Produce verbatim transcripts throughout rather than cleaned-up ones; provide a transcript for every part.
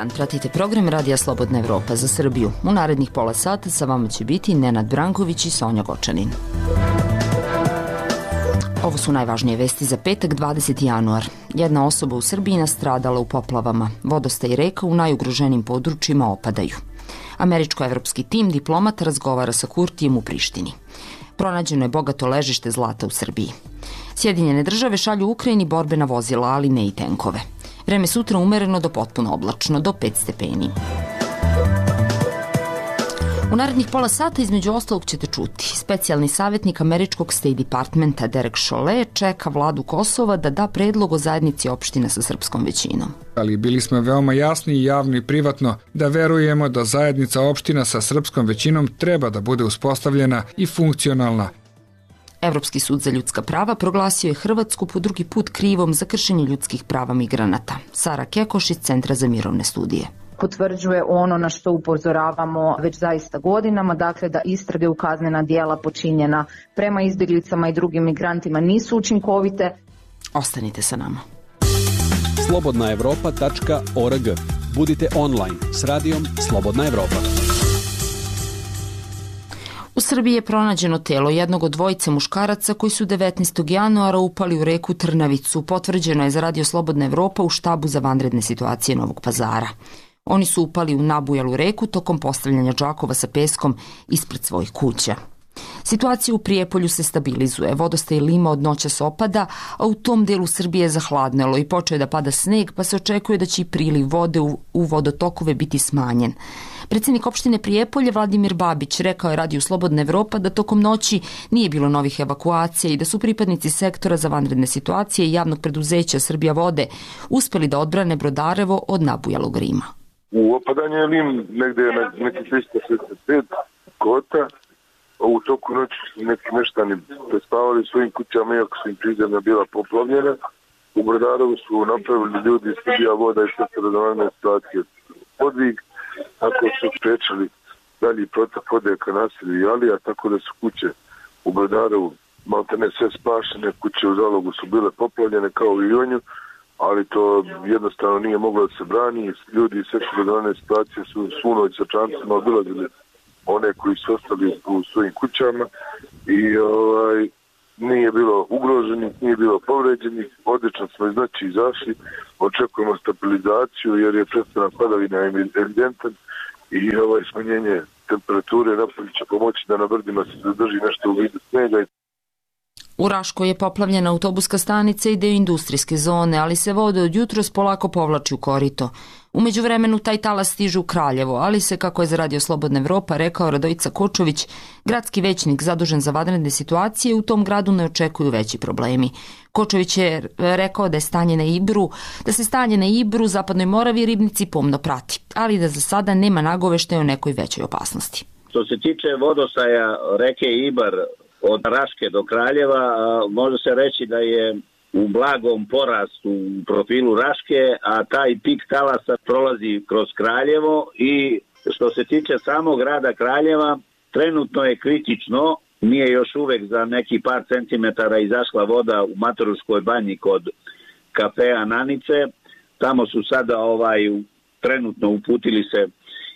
dan, pratite program Radija Slobodna Evropa za Srbiju. U narednih pola sata sa vama će biti Nenad Branković i Sonja Gočanin. Ovo su najvažnije vesti za petak, dvadeseti januar. Jedna osoba u Srbiji nastradala u poplavama. Vodostaj reka u najugroženijim područjima opadaju. Američko-evropski tim diplomata razgovara sa Kurtijem u Prištini. Pronađeno je bogato ležište zlata u Srbiji. Sjedinjene države šalju Ukrajini borbena vozila, ali ne i tenkove. Vreme sutra umereno do potpuno oblačno, do pet stepeni. U narednih pola sata između ostalog ćete čuti. Specijalni savjetnik američkog State Departmenta Derek Chollet čeka vladu Kosova da da predlog o zajednici opština sa srpskom većinom. Ali bili smo veoma jasni i javno i privatno da verujemo da zajednica opština sa srpskom većinom treba da bude uspostavljena i funkcionalna. Evropski sud za ljudska prava proglasio je Hrvatsku po drugi put krivom za kršenje ljudskih prava migranata. Sara Kekoš iz Centra za mirovne studije. Potvrđuje ono na što upozoravamo već zaista godinama, dakle da istrage u kaznena djela počinjena prema izbjeglicama i drugim migrantima nisu učinkovite. Ostanite sa nama. slobodna evropa tačka org. Budite online s radijom Slobodna Evropa. U Srbiji je pronađeno telo jednog od dvojice muškaraca koji su devetnaestog januara upali u reku Trnavicu. Potvrđeno je za Radio Slobodna Evropa u štabu za vanredne situacije Novog Pazara. Oni su upali u nabujalu reku tokom postavljanja džakova sa peskom ispred svojih kuća. Situacija u Prijepolju se stabilizuje, vodostaj Lima od noćas opada, a u tom delu Srbije je zahladnelo i počeo je da pada sneg, pa se očekuje da će i priliv vode u, u vodotokove biti smanjen. Predsjednik opštine Prijepolje Vladimir Babić rekao je Radiju Slobodna Evropa da tokom noći nije bilo novih evakuacija i da su pripadnici sektora za vanredne situacije i javnog preduzeća Srbija vode uspeli da odbrane Brodarevo od nabujalog Rima. U opadanju je Lim negde na neki trista šezdeset pet kota. U toku noći su neki meštani prespavali svojim kućama, iako su im prizemlja bila poplavljena. U Brodarevu su napravili ljudi iz Srbija voda i sektora za vanredne situacije podvig, tako su sprečili dalji protok vode ka naselju Jalija, tako da su kuće u Brodarevu maltene sve spašene, kuće u Zalogu su bile poplavljene kao i u nju, ali to jednostavno nije moglo da se brani. Ljudi iz sektora za vanredne situacije su svu noć sa čamcima obilazili one koji su ostali u svojim kućama i ovaj, nije bilo ugroženih, nije bilo povređenih, odlično smo iz noći izašli, očekujemo stabilizaciju jer je prestanak padavina evidentan i ovaj smanjenje temperature napolje će pomoći da na brdima se zadrži nešto u vidu snega. U Raškoj je poplavljena autobuska stanica i deo industrijske zone, ali se voda od jutros polako povlači u korito. U međuvremenu taj talas stiže u Kraljevo, ali se, kako je za Radio Slobodna Evropa rekao Radojica Kočović, gradski većnik zadužen za vanredne situacije, u tom gradu ne očekuju veći problemi. Kočović je rekao da je stanje na Ibru, da se stanje na Ibru, Zapadnoj Moravi i Ribnici pomno prati, ali da za sada nema nagoveštaja o nekoj većoj opasnosti. Što se tiče vodostaja reke Ibar od Raške do Kraljeva, može se reći da je u blagom porastu u profilu Raške, a taj pik talasa prolazi kroz Kraljevo i što se tiče samog grada Kraljeva, trenutno je kritično, nije još uvek za neki par centimetara izašla voda u Matoruškoj banji kod kafea Nanice, tamo su sada ovaj, trenutno uputili se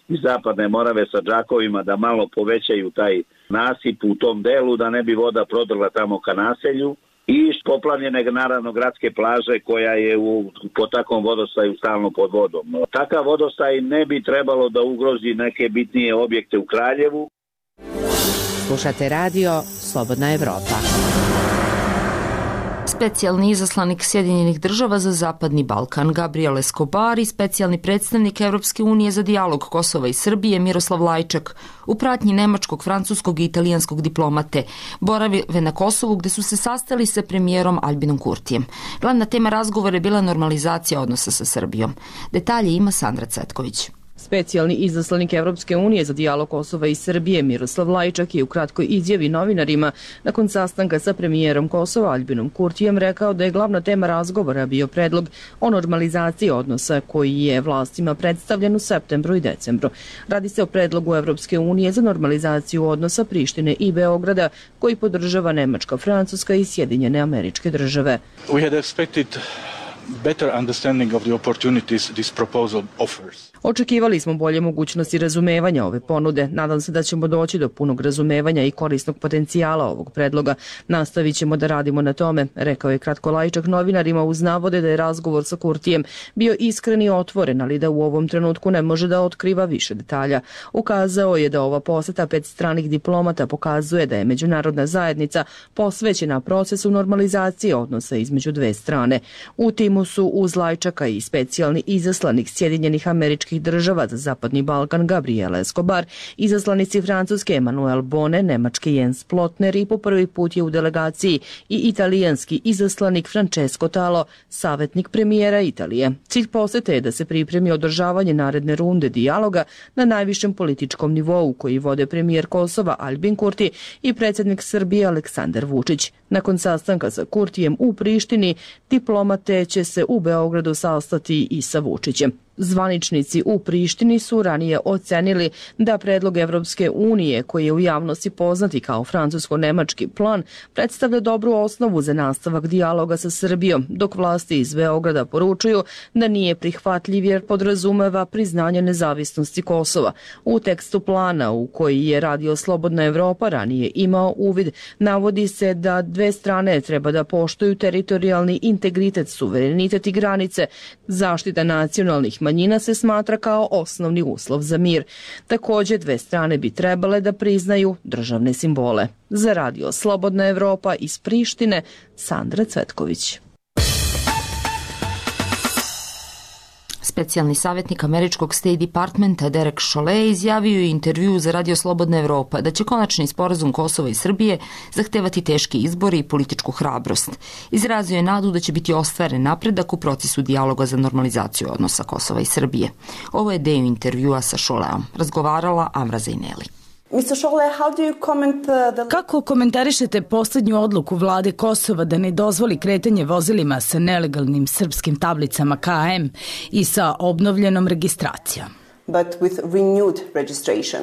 iz Zapadne Morave sa džakovima da malo povećaju taj nasip u tom delu, da ne bi voda prodrla tamo ka naselju. I poplavljene naravno gradske plaže koja je u, po takvom vodostaju stalno pod vodom. Takav vodostaj ne bi trebalo da ugrozi neke bitnije objekte u Kraljevu. Slušate radio Slobodna Evropa. Specijalni izaslanik Sjedinjenih država za Zapadni Balkan Gabriel Escobar i specijalni predstavnik Evropske unije za dijalog Kosova i Srbije Miroslav Lajčak u pratnji nemačkog, francuskog i italijanskog diplomate borave na Kosovu gde su se sastali sa premijerom Albinom Kurtijem. Glavna tema razgovora je bila normalizacija odnosa sa Srbijom. Detalje ima Sandra Cvetković. Specijalni izaslanik Evropske unije za dijalog Kosova i Srbije Miroslav Lajčak je u kratkoj izjavi novinarima nakon sastanka sa premijerom Kosova Albinom Kurtijem rekao da je glavna tema razgovora bio predlog o normalizaciji odnosa koji je vlastima predstavljen u septembru i decembru. Radi se o predlogu Evropske unije za normalizaciju odnosa Prištine i Beograda koji podržava Nemačka, Francuska i Sjedinjene Američke Države. We had expected better understanding of the opportunities this proposal offers. Očekivali smo bolje mogućnosti razumevanja ove ponude. Nadam se da ćemo doći do punog razumevanja i korisnog potencijala ovog predloga. Nastavit ćemo da radimo na tome, rekao je Kratko Lajčak novinarima uz navode da je razgovor sa Kurtijem bio iskren i otvoren, ali da u ovom trenutku ne može da otkriva više detalja. Ukazao je da ova poseta pet stranih diplomata pokazuje da je međunarodna zajednica posvećena procesu normalizacije odnosa između dve strane. U timu su uz Lajčaka i specijalni izaslanik Sjedinjenih Američkih država za Zapadni Balkan Gabriela Escobar, izaslanici Francuske Emmanuel Bonne, Nemački Jens Plotner i po prvi put je u delegaciji i italijanski izaslanik Francesco Talo, savjetnik premijera Italije. Cilj posete je da se pripremi održavanje naredne runde dijaloga na najvišem političkom nivou koji vode premijer Kosova Aljbin Kurti i predsjednik Srbije Aleksandar Vučić. Nakon sastanka sa Kurtijem u Prištini, diplomate će se u Beogradu sastati i sa Vučićem. Zvaničnici u Prištini su ranije ocenili da predlog Evropske unije, koji je u javnosti poznati kao francusko-nemački plan, predstavlja dobru osnovu za nastavak dijaloga sa Srbijom, dok vlasti iz Beograda poručuju da nije prihvatljiv jer podrazumeva priznanje nezavisnosti Kosova. U tekstu plana u koji je Radio Slobodna Evropa ranije imao uvid, navodi se da dve strane treba da poštuju teritorijalni integritet, suverenitet i granice. Zaštita nacionalnih manjina se smatra kao osnovni uslov za mir. Također, dve strane bi trebale da priznaju državne simbole. Za Radio Slobodna Evropa iz Prištine, Sandra Cvetković. Specijalni savjetnik američkog State Departmenta Derek Chollet izjavio je intervju za Radio Slobodna Evropa da će konačni sporazum Kosova i Srbije zahtevati teški izbori i političku hrabrost. Izrazio je nadu da će biti ostvaren napredak u procesu dijaloga za normalizaciju odnosa Kosova i Srbije. Ovo je deo intervjua sa Cholletom. Razgovarala Amra Zaineli. Kako komentarišete posljednju odluku vlade Kosova da ne dozvoli kretanje vozilima sa nelegalnim srpskim tablicama K M i sa obnovljenom registracijom? But with renewed registration.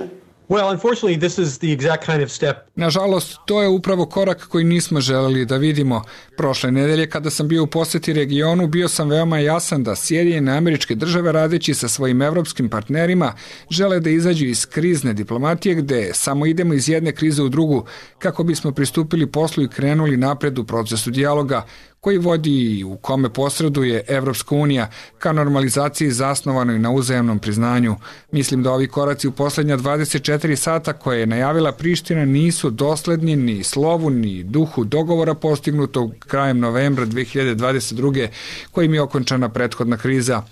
Well, unfortunately, this is the exact kind of step. Nažalost, to je upravo korak koji nismo želeli da vidimo. Prošle nedelje kada sam bio u poseti regionu, bio sam veoma jasan da Sjedinjene Američke države radeći sa svojim evropskim partnerima žele da izađu iz krizne diplomatije gde samo idemo iz jedne krize u drugu kako bismo pristupili poslu i krenuli napred u procesu dijaloga koji vodi i u kome posreduje Evropska unija ka normalizaciji zasnovanoj na uzajamnom priznanju. Mislim da ovi koraci u posljednja dvadeset četiri sata koje je najavila Priština nisu dosledni ni slovu ni duhu dogovora postignutog krajem novembra dve hiljade dvadeset druge kojim je okončana prethodna kriza.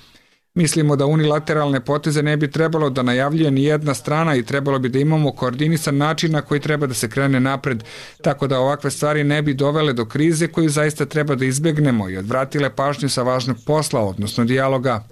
Mislimo da unilateralne poteze ne bi trebalo da najavljuje ni jedna strana i trebalo bi da imamo koordinisan način na koji treba da se krene napred, tako da ovakve stvari ne bi dovele do krize koju zaista treba da izbegnemo i odvratile pažnju sa važnog posla, odnosno dijaloga.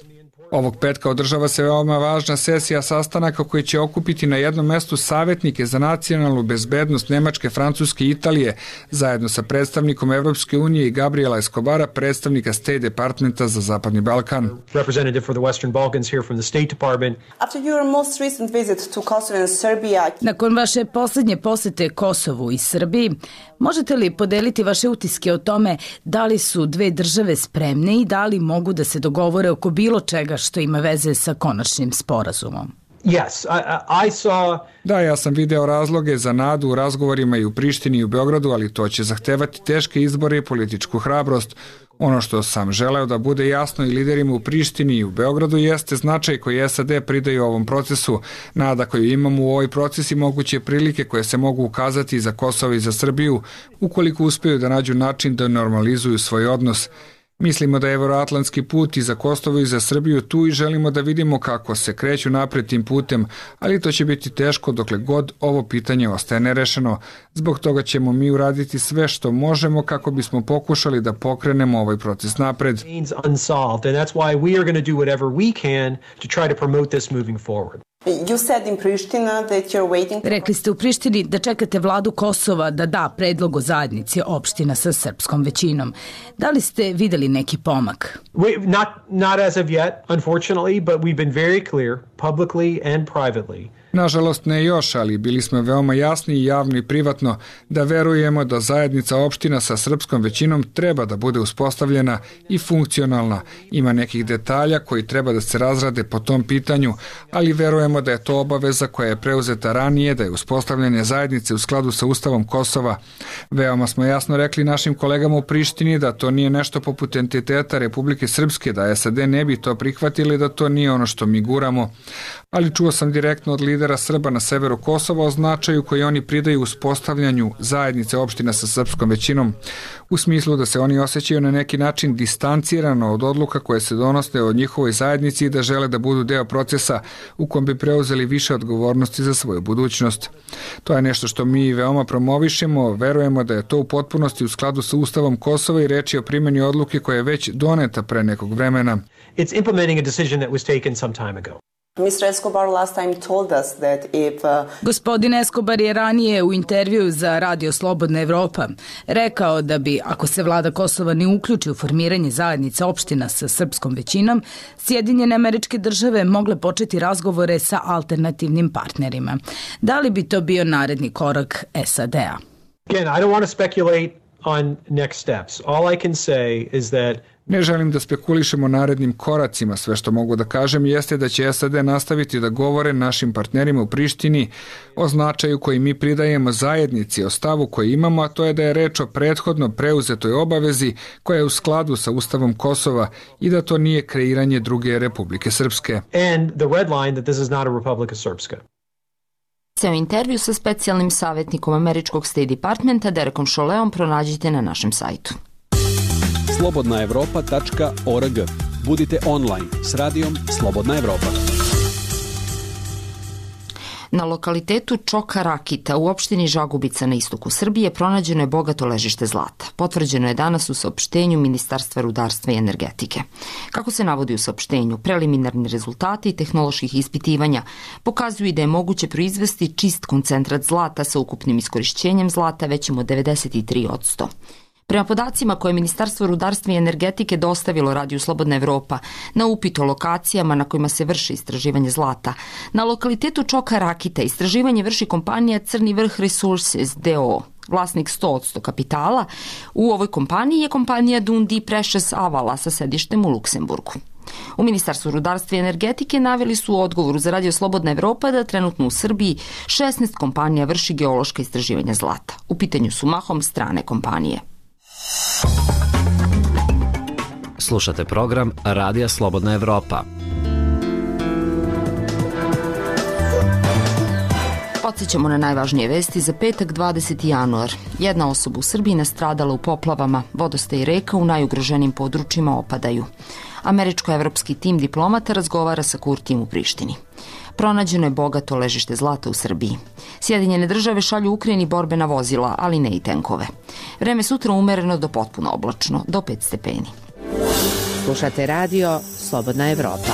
Ovog petka održava se veoma važna sesija sastanaka koji će okupiti na jednom mestu savjetnike za nacionalnu bezbednost Nemačke, Francuske i Italije, zajedno sa predstavnikom Evropske unije i Gabriela Escobara, predstavnika State Departmenta za Zapadni Balkan. Representative for the Western Balkans here from the State Department. After your most recent visit to Kosovo and Serbia. Nakon vaše posljednje posete Kosovu i Srbiji, možete li podeliti vaše utiske o tome da li su dve države spremne i da li mogu da se dogovore oko bilo čega što ima veze sa konačnim sporazumom? Yes, I, I saw... Da, ja sam video razloge za nadu u razgovorima i u Prištini i u Beogradu, ali to će zahtevati teške izbore i političku hrabrost. Ono što sam želeo da bude jasno i liderima u Prištini i u Beogradu jeste značaj koji S A D pridaju ovom procesu, nada koju imamo u ovoj proces i moguće prilike koje se mogu ukazati za Kosovo i za Srbiju, ukoliko uspeju da nađu način da normalizuju svoj odnos. Mislimo da je evroatlantski put i za Kosovo i za Srbiju tu i želimo da vidimo kako se kreću napred tim putem, ali to će biti teško dokle god ovo pitanje ostaje nerešeno. Zbog toga ćemo mi uraditi sve što možemo kako bismo pokušali da pokrenemo ovaj proces napred. You said in Pristina that you're waiting... Rekli ste u Prištini da čekate vladu Kosova da da predlog o zajednici opština sa srpskom većinom. Da li ste videli neki pomak? We, not, not as of yet, unfortunately, but we've been very clear, publicly and privately, Nažalost ne još, ali bili smo veoma jasni i javno i privatno da verujemo da zajednica opština sa srpskom većinom treba da bude uspostavljena i funkcionalna. Ima nekih detalja koji treba da se razrade po tom pitanju, ali verujemo da je to obaveza koja je preuzeta ranije, da je uspostavljanje zajednice u skladu sa Ustavom Kosova. Veoma smo jasno rekli našim kolegama u Prištini da to nije nešto poput entiteta Republike Srpske, da S A D ne bi to prihvatili, da to nije ono što mi guramo. Ali čuo sam direktno od lidera Srba na severu Kosova o značaju koji oni pridaju uspostavljanju zajednice opština sa srpskom većinom, u smislu da se oni osjećaju na neki način distancirano od odluka koje se donose od njihovoj zajednici i da žele da budu deo procesa u kom bi preuzeli više odgovornosti za svoju budućnost. To je nešto što mi veoma promovišemo, verujemo da je to u potpunosti u skladu sa Ustavom Kosova i reč je o primjeni odluke koja je već doneta pre nekog vremena. It's implementing a decision that was taken some time ago. mister Escobar last time told us that if uh... Gospodin Escobar je ranije u intervju za Radio Slobodna Evropa rekao da bi, ako se vlada Kosova ne uključi u formiranje zajednice opština sa srpskom većinom, Sjedinjene Američke Države mogle početi razgovore sa alternativnim partnerima. Da li bi to bio naredni korak S A D-a? Again, I don't want to speculate on next steps. All I can say is that Ne želim da spekulišemo narednim koracima, sve što mogu da kažem jeste da će S A D nastaviti da govore našim partnerima u Prištini o značaju koji mi pridajemo zajednici, o stavu koji imamo, a to je da je reč o prethodno preuzetoj obavezi koja je u skladu sa Ustavom Kosova i da to nije kreiranje druge Republike Srpske. And the red line that this is not a Republika Srpska. Ceo intervju sa specijalnim savjetnikom američkog State Departmenta Derekom Šoleom pronađite na našem sajtu. slobodna evropa tačka org. Budite online s radijom Slobodna Evropa. Na lokalitetu Čoka Rakita u opštini Žagubica na istoku Srbije pronađeno je bogato ležište zlata. Potvrđeno je danas u saopštenju Ministarstva rudarstva i energetike. Kako se navodi u saopštenju, preliminarni rezultati tehnoloških ispitivanja pokazuju da je moguće proizvesti čist koncentrat zlata sa ukupnim iskorišćenjem zlata većim od devedeset tri posto. Prema podacima koje je Ministarstvo rudarstva i energetike dostavilo Radiju Slobodna Evropa na upit o lokacijama na kojima se vrši istraživanje zlata, na lokalitetu Čoka Rakita istraživanje vrši kompanija Crni vrh Resources D O O. Vlasnik sto posto kapitala u ovoj kompaniji je kompanija Dundee Precious Avala sa sedištem u Luksemburgu. U Ministarstvu rudarstva i energetike naveli su u odgovoru za Radio Slobodna Evropa da trenutno u Srbiji šesnaest kompanija vrši geološka istraživanja zlata. U pitanju su mahom strane kompanije. Slušate program Radija Slobodna Evropa. Podsjećamo na najvažnije vesti za petak dvadeseti januar. Jedna osoba u Srbiji nastradala u poplavama, vodostaji reka u najugroženijim područjima opadaju. Američko-evropski tim diplomata razgovara sa Kurtijem u Prištini. Pronađeno je bogato ležište zlata u Srbiji. Sjedinjene države šalju Ukrajini borbena vozila, ali ne i tenkove. Vreme sutra umereno do potpuno oblačno, do pet stepeni. Slušate radio Slobodna Evropa.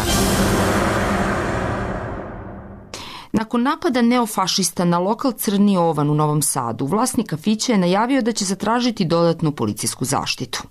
Nakon napada neofašista na lokal Crni Ovan u Novom Sadu, vlasnik kafića je najavio da će zatražiti dodatnu policijsku zaštitu.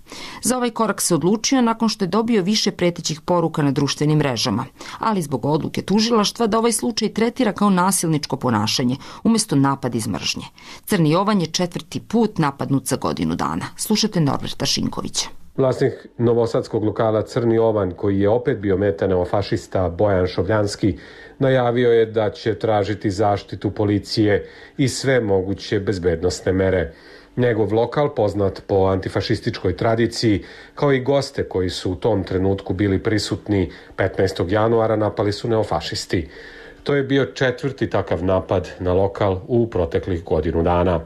Za ovaj korak se odlučio nakon što je dobio više pretećih poruka na društvenim mrežama, ali zbog odluke tužilaštva da ovaj slučaj tretira kao nasilničko ponašanje, umjesto napad iz mržnje. Crni Ovan je četvrti put napadnut za godinu dana. Slušajte Norberta Šinkovića. Vlasnik novosadskog lokala Crni Ovan, koji je opet bio meta neofašista Bojan Šovljanski, najavio je da će tražiti zaštitu policije i sve moguće bezbednosne mere. Njegov lokal, poznat po antifašističkoj tradiciji, kao i goste koji su u tom trenutku bili prisutni petnaestog januara, napali su neofašisti. To je bio četvrti takav napad na lokal u proteklih godinu dana.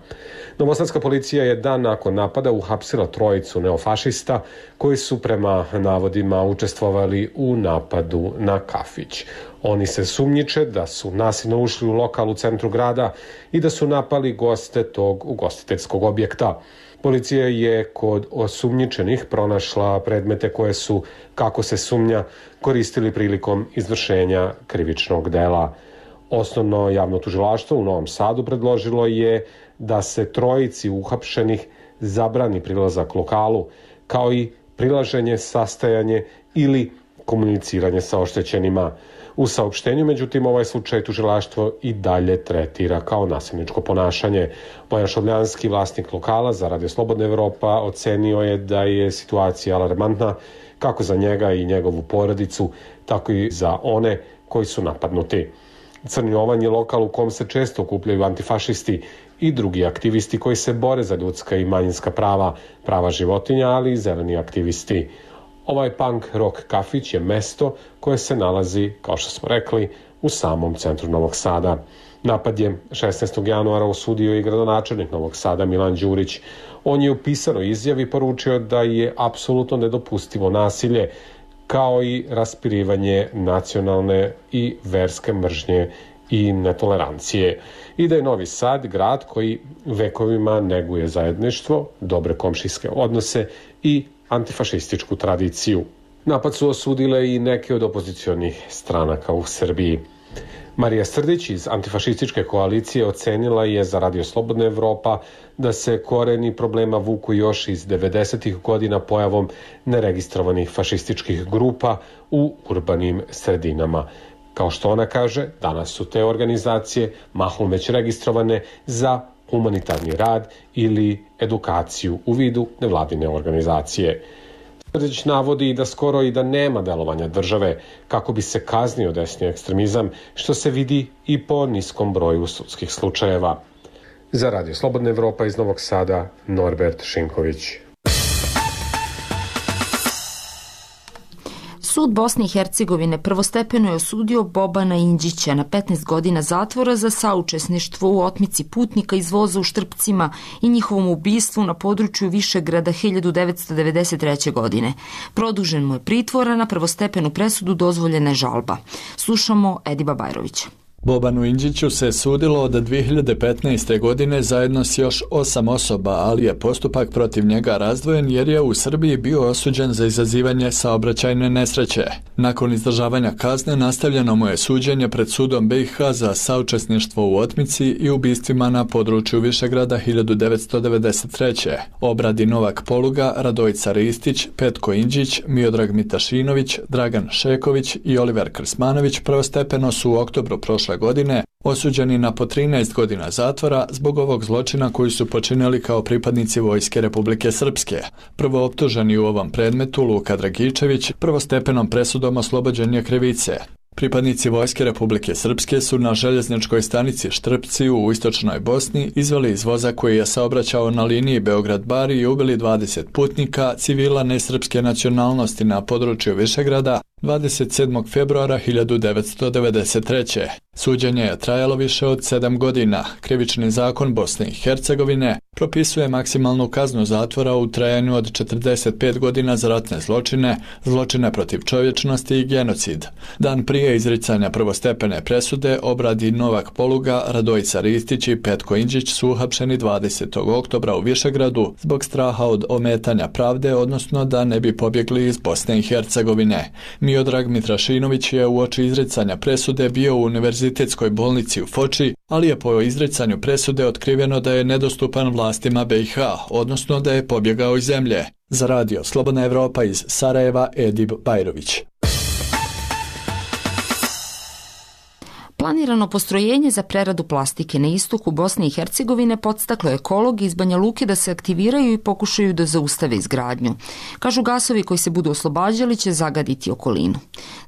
Novosadska policija je dan nakon napada uhapsila trojicu neofašista koji su prema navodima učestvovali u napadu na kafić. Oni se sumnjiče da su nasilno ušli u lokal u centru grada i da su napali goste tog ugostiteljskog objekta. Policija je kod osumnjičenih pronašla predmete koje su, kako se sumnja, koristili prilikom izvršenja krivičnog dela. Osnovno javno tužilaštvo u Novom Sadu predložilo je da se trojici uhapšenih zabrani prilazak lokalu, kao i prilaženje, sastajanje ili komuniciranje sa oštećenima. U saopštenju, međutim, ovaj slučaj tužilaštvo i dalje tretira kao nasilničko ponašanje. Bojan Šobljanski, vlasnik lokala za Radio Slobodna Evropa, ocenio je da je situacija alarmantna kako za njega i njegovu porodicu, tako i za one koji su napadnuti. Crni Ovan je lokal u kom se često okupljaju antifašisti i drugi aktivisti koji se bore za ljudska i manjinska prava, prava životinja, ali i zeleni aktivisti. Ovaj punk rock kafić je mesto koje se nalazi, kao što smo rekli, u samom centru Novog Sada. Napad je šesnaestog januara osudio i gradonačelnik Novog Sada Milan Đurić. On je u pisanoj izjavi poručio da je apsolutno nedopustivo nasilje, kao i raspirivanje nacionalne i verske mržnje i netolerancije. I da je Novi Sad grad koji vekovima neguje zajedništvo, dobre komšijske odnose i antifašističku tradiciju. Napad su osudile i neke od opozicionih stranaka u Srbiji. Marija Srdić iz antifašističke koalicije ocenila je za Radio Slobodna Evropa da se koreni problema vuku još iz devedesetih godina pojavom neregistrovanih fašističkih grupa u urbanim sredinama. Kao što ona kaže, danas su te organizacije mahom već registrovane za humanitarni rad ili edukaciju u vidu nevladine organizacije. Srdić navodi da skoro i da nema delovanja države kako bi se kaznio desni ekstremizam, što se vidi i po niskom broju sudskih slučajeva. Za Radio Slobodna Evropa iz Novog Sada, Norbert Šinković. Sud Bosne i Hercegovine prvostepeno je osudio Bobana Indžića na petnaest godina zatvora za saučesništvo u otmici putnika iz voza u Štrpcima i njihovom ubistvu na području Višegrada hiljadu devetsto devedeset treće. godine. Produžen mu je pritvor, a na prvostepenu presudu dozvoljena je žalba. Slušamo Ediba Bajrovića. Bobanu Indžiću se sudilo od dvije hiljade petnaeste. godine zajedno s još osam osoba, ali je postupak protiv njega razdvojen jer je u Srbiji bio osuđen za izazivanje saobraćajne nesreće. Nakon izdržavanja kazne nastavljeno mu je suđenje pred sudom B i H za saučesništvo u otmici i ubistvima na području Višegrada hiljadu devetsto devedeset treće. Obradi Novak Poluga, Radojica Ristić, Petko Indžić, Miodrag Mitašinović, Dragan Šeković i Oliver Krsmanović prvostepeno su u oktobru prošle godine osuđeni na po trinaest godina zatvora zbog ovog zločina koji su počinili kao pripadnici Vojske Republike Srpske. Prvo optuženi u ovom predmetu, Luka Dragičević, prvostepenom presudom oslobođen je krivice. Pripadnici Vojske Republike Srpske su na željezničkoj stanici Štrpci u istočnoj Bosni izveli iz voza koji je saobraćao na liniji Beograd-Bar i ubili dvadeset putnika civila nesrpske nacionalnosti na području Višegrada dvadeset sedmog februara hiljadu devetsto devedeset treće. Suđenje je trajalo više od sedam godina. Krivični zakon Bosne i Hercegovine propisuje maksimalnu kaznu zatvora u trajanju od četrdeset pet godina za ratne zločine, zločine protiv čovječnosti i genocid. Dan prije izricanja prvostepene presude obradi Novak Poluga, Radojica Ristić i Petko Indžić su uhapšeni dvadesetog oktobra u Višegradu zbog straha od ometanja pravde, odnosno da ne bi pobjegli iz Bosne i Hercegovine. Miodrag Mitrašinović je uoči izricanja presude bio u univerzitetskoj bolnici u Foči, ali je po izricanju presude otkriveno da je nedostupan vlastima B i H, odnosno da je pobjegao iz zemlje. Za Radio Slobodna Evropa iz Sarajeva, Edib Bajrović. Planirano postrojenje za preradu plastike na istoku Bosne i Hercegovine podstaklo ekologi iz Banja Luke da se aktiviraju i pokušaju da zaustave izgradnju. Kažu, gasovi koji se budu oslobađali će zagaditi okolinu.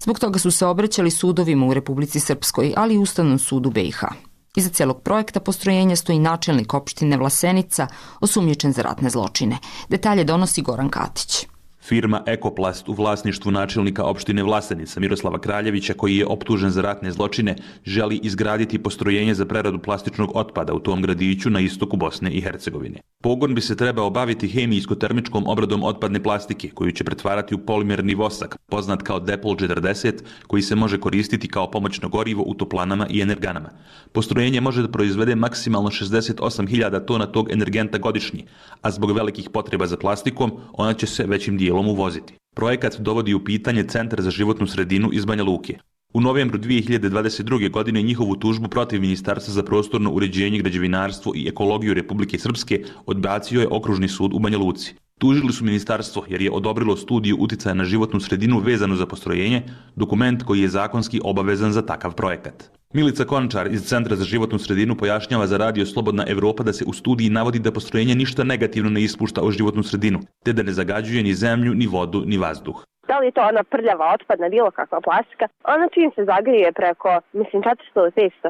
Zbog toga su se obraćali sudovima u Republici Srpskoj, ali i Ustavnom sudu B i H. Iza cijelog projekta postrojenja stoji načelnik opštine Vlasenica, osumnjičen za ratne zločine. Detalje donosi Goran Katić. Firma Ekoplast u vlasništvu načelnika opštine Vlasenica Miroslava Kraljevića, koji je optužen za ratne zločine, želi izgraditi postrojenje za preradu plastičnog otpada u tom gradiću na istoku Bosne i Hercegovine. Pogon bi se trebao baviti hemijsko-termičkom obradom otpadne plastike, koju će pretvarati u polimerni vosak, poznat kao Depol četrdeset, koji se može koristiti kao pomoćno gorivo u toplanama i energanama. Postrojenje može da proizvede maksimalno šezdeset osam hiljada tona tog energenta godišnje, a zbog velikih potreba za plastikom, ona će se većim dijelom uvoziti. Projekat dovodi u pitanje Centar za životnu sredinu iz Banja Luke. U novembru dvije hiljade dvadeset druge. godine njihovu tužbu protiv Ministarstva za prostorno uređenje, građevinarstvo i ekologiju Republike Srpske odbacio je Okružni sud u Banja Luci. Tužili su ministarstvo jer je odobrilo studiju uticaja na životnu sredinu vezanu za postrojenje, dokument koji je zakonski obavezan za takav projekat. Milica Končar iz Centra za životnu sredinu pojašnjava za Radio Slobodna Evropa da se u studiji navodi da postrojenje ništa negativno ne ispušta u životnu sredinu, te da ne zagađuje ni zemlju, ni vodu, ni vazduh. Da li je to ona prljava, otpadna, bilo kakva plastika, ona čim se zagrije preko, mislim, četiristo do petsto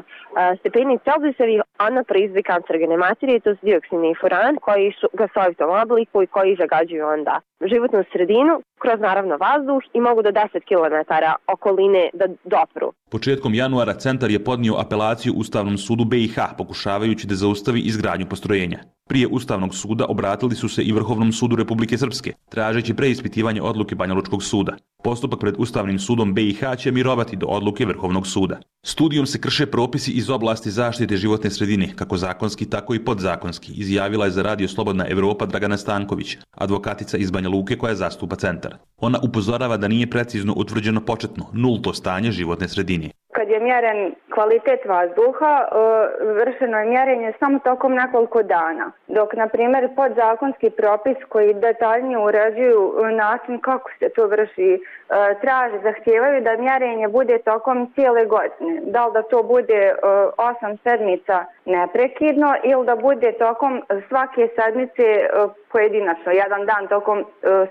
stepeni Celzijusovih, ona proizvodi kancerogene materije, to su dioksin i furan, koji su gasovitom obliku i koji zagađuju onda životnu sredinu, kroz naravno vazduh i mogu do deset kilometara okoline da dopru. Početkom januara centar je podnio apelaciju Ustavnom sudu B i H, pokušavajući da zaustavi izgradnju postrojenja. Prije Ustavnog suda obratili su se i Vrhovnom sudu Republike Srpske, tražeći preispitivanje odluke Banjalučkog suda. Postupak pred Ustavnim sudom B i H će mirovati do odluke Vrhovnog suda. Studijom se krše propisi iz oblasti zaštite životne sredine, kako zakonski, tako i podzakonski, izjavila je za Radio Slobodna Evropa Dragana Stanković, advokatica iz Banja Luke koja zastupa centar. Ona upozorava da nije precizno utvrđeno početno, nulto stanje životne sredine. Kad je mjeren kvalitet vazduha, vršeno je mjerenje samo tokom nekoliko dana. Dok, na primjer, podzakonski propis koji detaljnije uređuju način kako se to vrši, traže, zahtijevaju da mjerenje bude tokom cijele godine. Da li da to bude osam sedmica neprekidno ili da bude tokom svake sedmice pojedinačno, jedan dan tokom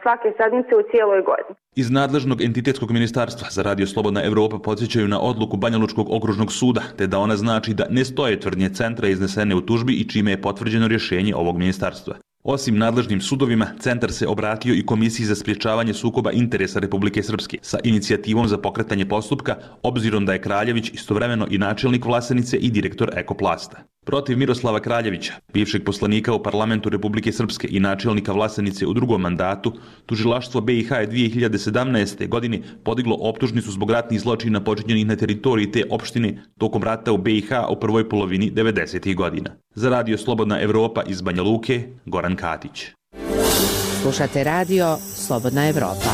svake sedmice u cijeloj godini. Iz nadležnog entitetskog ministarstva za Radio Slobodna Evropa podsjećaju na odluku Banjalučkog okružnog suda, te da ona znači da ne stoje tvrdnje centra iznesene u tužbi i čime je potvrđeno rješenje ovog ministarstva. Osim nadležnim sudovima, centar se obratio i Komisiji za sprječavanje sukoba interesa Republike Srpske sa inicijativom za pokretanje postupka, obzirom da je Kraljević istovremeno i načelnik Vlasenice i direktor Ekoplasta. Protiv Miroslava Kraljevića, bivšeg poslanika u parlamentu Republike Srpske i načelnika Vlasenice u drugom mandatu, tužilaštvo B i H je dvije hiljade sedamnaeste. godine podiglo optužnicu zbog ratnih zločina počinjenih na teritoriji te opštine tokom rata u B i H u prvoj polovini devedesetih godina. Za Radio Slobodna Evropa iz Banja Luke, Goran Katić. Slušate Radio Slobodna Evropa.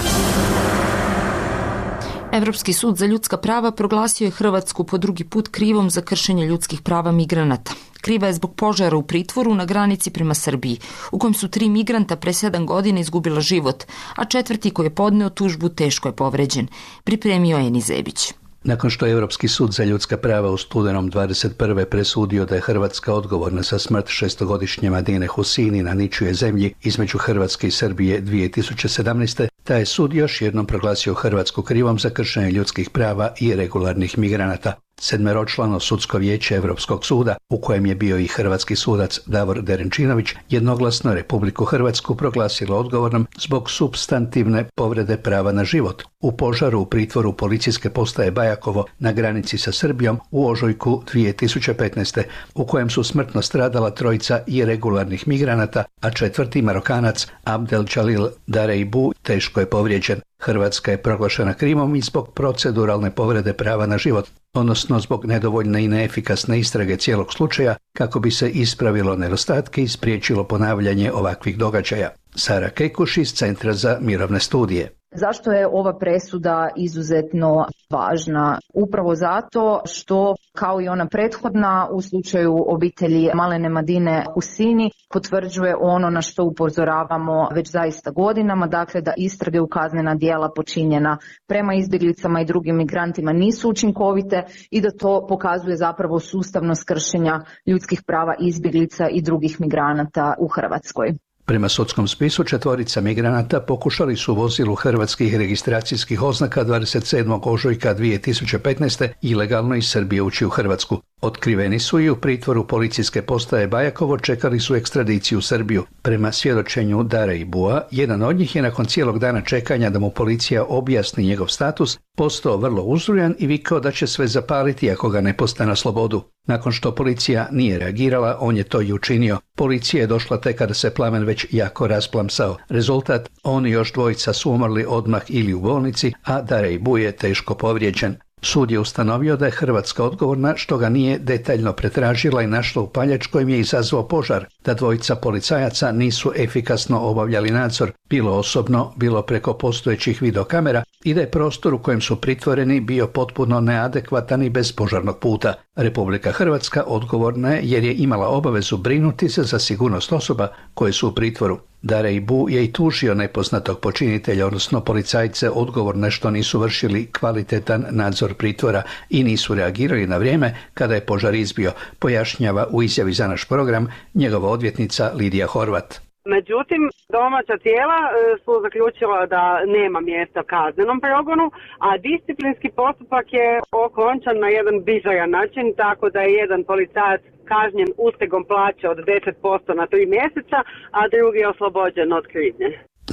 Evropski sud za ljudska prava proglasio je Hrvatsku po drugi put krivom za kršenje ljudskih prava migranata. Kriva je zbog požara u pritvoru na granici prema Srbiji, u kojem su tri migranta pre sedam godina izgubila život, a četvrti koji je podneo tužbu teško je povređen. Pripremio je Eni Zebić. Nakon što je Europski sud za ljudska prava u studenom dvadeset prve presudio da je Hrvatska odgovorna za smrt šestogodišnje Madine Husini na ničijoj zemlji između Hrvatske i Srbije dvije tisuće sedamnaeste. taj je sud još jednom proglasio Hrvatsku krivom za kršenje ljudskih prava i regularnih migranata. Sedmeročlano sudsko vijeće Europskog suda, u kojem je bio i hrvatski sudac Davor Derenčinović, jednoglasno Republiku Hrvatsku proglasilo odgovornom zbog supstantivne povrede prava na život u požaru u pritvoru policijske postaje Bajakovo na granici sa Srbijom u ožujku dvije tisuće petnaeste. u kojem su smrtno stradala trojica iregularnih migranata, a četvrti Marokanac Abdel Jalil Dareibu teško je povrijeđen. Hrvatska je proglašena krivom i zbog proceduralne povrede prava na život, odnosno zbog nedovoljne i neefikasne istrage cijelog slučaja kako bi se ispravilo nedostatke i spriječilo ponavljanje ovakvih događaja. Sara Kekuš iz Centra za mirovne studije. Zašto je ova presuda izuzetno važna? Upravo zato što, kao i ona prethodna, u slučaju obitelji Malene Madine Husini, potvrđuje ono na što upozoravamo već zaista godinama, dakle da istrage u kaznena djela počinjena prema izbjeglicama i drugim migrantima nisu učinkovite i da to pokazuje zapravo sustavnost kršenja ljudskih prava izbjeglica i drugih migranata u Hrvatskoj. Prema sudskom spisu četvorica migranata pokušali su u vozilu hrvatskih registracijskih oznaka dvadeset sedmog ožujka dvije tisuće petnaeste. ilegalno iz Srbije ući u Hrvatsku. Otkriveni su i u pritvoru policijske postaje Bajakovo, čekali su ekstradiciju u Srbiju. Prema svjedočenju Dareibua, jedan od njih je nakon cijelog dana čekanja da mu policija objasni njegov status, postao vrlo uzrujan i vikao da će sve zapaliti ako ga ne puste na slobodu. Nakon što policija nije reagirala, on je to i učinio. Policija je došla tek kada se plamen već jako rasplamsao. Rezultat, on i još dvojica su umrli odmah ili u bolnici, a Dareibu je teško povrijeđen. Sud je ustanovio da je Hrvatska odgovorna što ga nije detaljno pretražila i našla upaljač kojim je izazvao požar, da dvojica policajaca nisu efikasno obavljali nadzor, bilo osobno, bilo preko postojećih videokamera, i da je prostor u kojem su pritvoreni bio potpuno neadekvatan i bez požarnog puta. Republika Hrvatska odgovorna je jer je imala obavezu brinuti se za sigurnost osoba koje su u pritvoru. Darejbu je i tužio nepoznatog počinitelja, odnosno policajce, odgovorne što nisu vršili kvalitetan nadzor pritvora i nisu reagirali na vrijeme kada je požar izbio, pojašnjava u izjavi za naš program njegova odvjetnica Lidija Horvat. Međutim, domaća tijela su zaključila da nema mjesta kaznenom progonu, a disciplinski postupak je okončan na jedan bizaran način, tako da je jedan policajac kažnjen ustegom plaće od deset posto na tri mjeseca, a drugi je oslobođen od krivnje.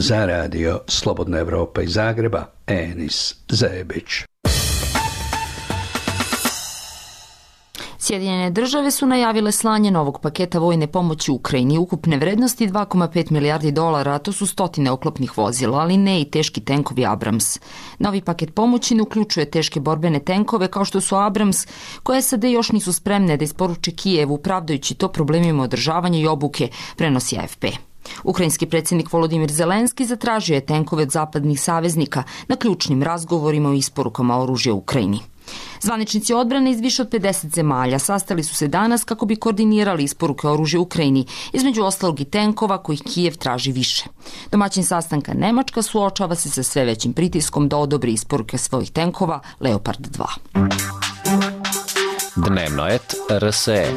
Za radio Slobodna Evropa iz Zagreba, Enis Zebić. Sjedinjene države su najavile slanje novog paketa vojne pomoći Ukrajini ukupne vrednosti dva zarez pet milijardi dolara, a to su stotine oklopnih vozila, ali ne i teški tenkovi Abrams. Novi paket pomoći ne uključuje teške borbene tenkove kao što su Abrams, koje S A D još nisu spremne da isporuče Kijevu, pravdajući to problemima održavanja i obuke, prenosi A F P. Ukrajinski predsjednik Volodimir Zelenski zatražio je tenkove od zapadnih saveznika na ključnim razgovorima o isporukama oružja Ukrajini. Zvaničnici odbrane iz više od pedeset zemalja sastali su se danas kako bi koordinirali isporuke oružja Ukrajini, između ostalog i tenkova kojih Kijev traži više. Domaćin sastanka Nemačka suočava se sa sve većim pritiskom da odobri isporuke svojih tenkova Leopard dva. Dnevnoet R S E.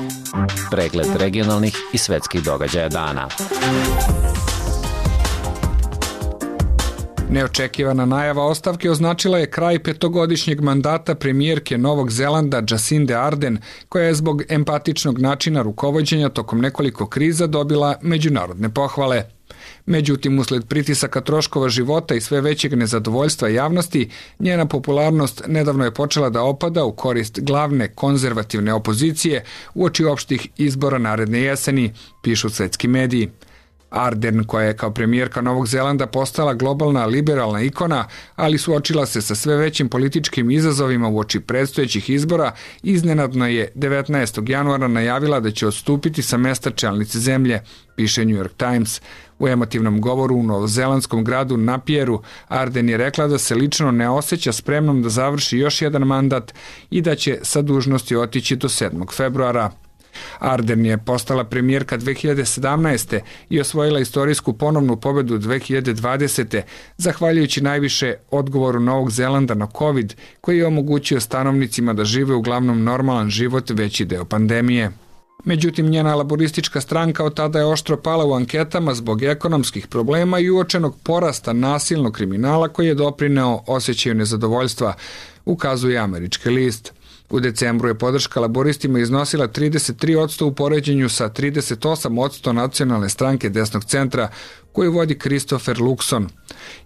Pregled regionalnih i svetskih događaja dana. Neočekivana najava ostavke označila je kraj petogodišnjeg mandata premijerke Novog Zelanda Jacinde Ardern, koja je zbog empatičnog načina rukovođenja tokom nekoliko kriza dobila međunarodne pohvale. Međutim, usled pritisaka troškova života i sve većeg nezadovoljstva javnosti, njena popularnost nedavno je počela da opada u korist glavne konzervativne opozicije uoči opštih izbora naredne jeseni, pišu svetski mediji. Ardern, koja je kao premijerka Novog Zelanda postala globalna liberalna ikona, ali suočila se sa sve većim političkim izazovima uoči predstojećih izbora, iznenadno je devetnaestog januara najavila da će odstupiti sa mesta čelnice zemlje, piše New York Times. U emotivnom govoru u novozelandskom gradu Napieru, Ardern je rekla da se lično ne osjeća spremnom da završi još jedan mandat i da će sa dužnosti otići do sedmog februara. Ardern je postala premijerka dve hiljade sedamnaeste. i osvojila istorijsku ponovnu pobedu dve hiljade dvadesete. zahvaljujući najviše odgovoru Novog Zelanda na COVID, koji je omogućio stanovnicima da žive uglavnom normalan život veći deo pandemije. Međutim, njena laboristička stranka od tada je oštro pala u anketama zbog ekonomskih problema i uočenog porasta nasilnog kriminala koji je doprineo osjećaju nezadovoljstva, ukazuje Američki list. U decembru je podrška laboristima iznosila trideset tri posto u poređenju sa trideset osam posto nacionalne stranke desnog centra, koju vodi Christopher Luxon.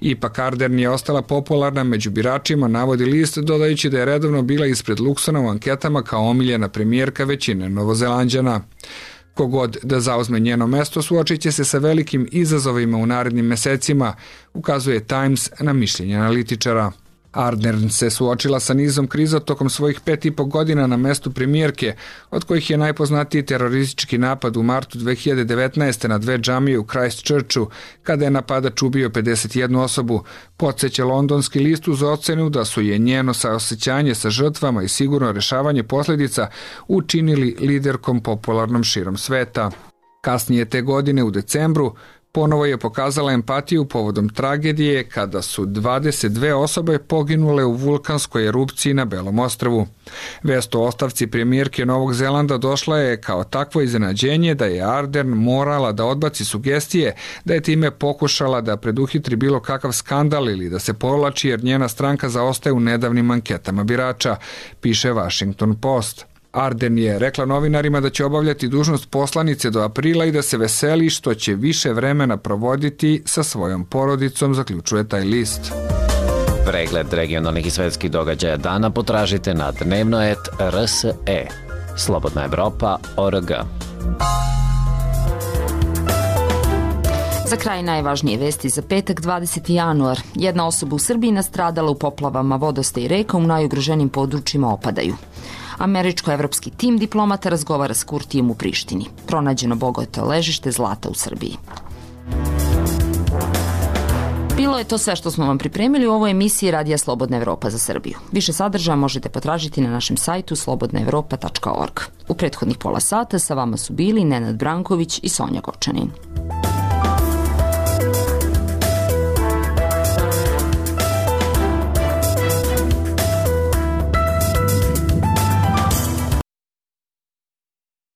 Ipak Ardern je ostala popularna među biračima, navodi list, dodajući da je redovno bila ispred Luxona u anketama kao omiljena premijerka većine Novozelanđana. Kogod da zauzme njeno mesto suočit će se sa velikim izazovima u narednim mesecima, ukazuje Times na mišljenje analitičara. Ardern se suočila sa nizom kriza tokom svojih pet i po godina na mestu premijerke, od kojih je najpoznatiji teroristički napad u martu dve hiljade devetnaeste. na dve džamije u Christchurchu, kada je napadač ubio pedeset jednu osobu, podsjeća londonski list uz ocenu da su je njeno saosećanje sa žrtvama i sigurno rešavanje posljedica učinili liderkom popularnom širom sveta. Kasnije te godine u decembru ponovo je pokazala empatiju povodom tragedije kada su dvadeset dve osobe poginule u vulkanskoj erupciji na Belom ostrvu. Vest o ostavci premijerke Novog Zelanda došla je kao takvo iznenađenje da je Ardern morala da odbaci sugestije da je time pokušala da preduhitri bilo kakav skandal ili da se povlači jer njena stranka zaostaje u nedavnim anketama birača, piše Washington Post. Ardern je rekla novinarima da će obavljati dužnost poslanice do aprila i da se veseli što će više vremena provoditi sa svojom porodicom, zaključuje taj list. Pregled regionalnih i svetskih događaja dana potražite na dnevnoet R S E. Slobodna Evropa O R G. Za kraj najvažnije vesti za petak dvadeseti januar. Jedna osoba u Srbiji nastradala u poplavama vodostaja i reka u najugroženijim područjima opadaju. Američko-evropski tim diplomata razgovara s Kurtijem u Prištini. Pronađeno bogato ležište zlata u Srbiji. Bilo je to sve što smo vam pripremili u ovoj emisiji Radija Slobodna Evropa za Srbiju. Više sadržaja možete potražiti na našem sajtu slobodna evropa tačka org. U prethodnih pola sata sa vama su bili Nenad Branković i Sonja Gočanin.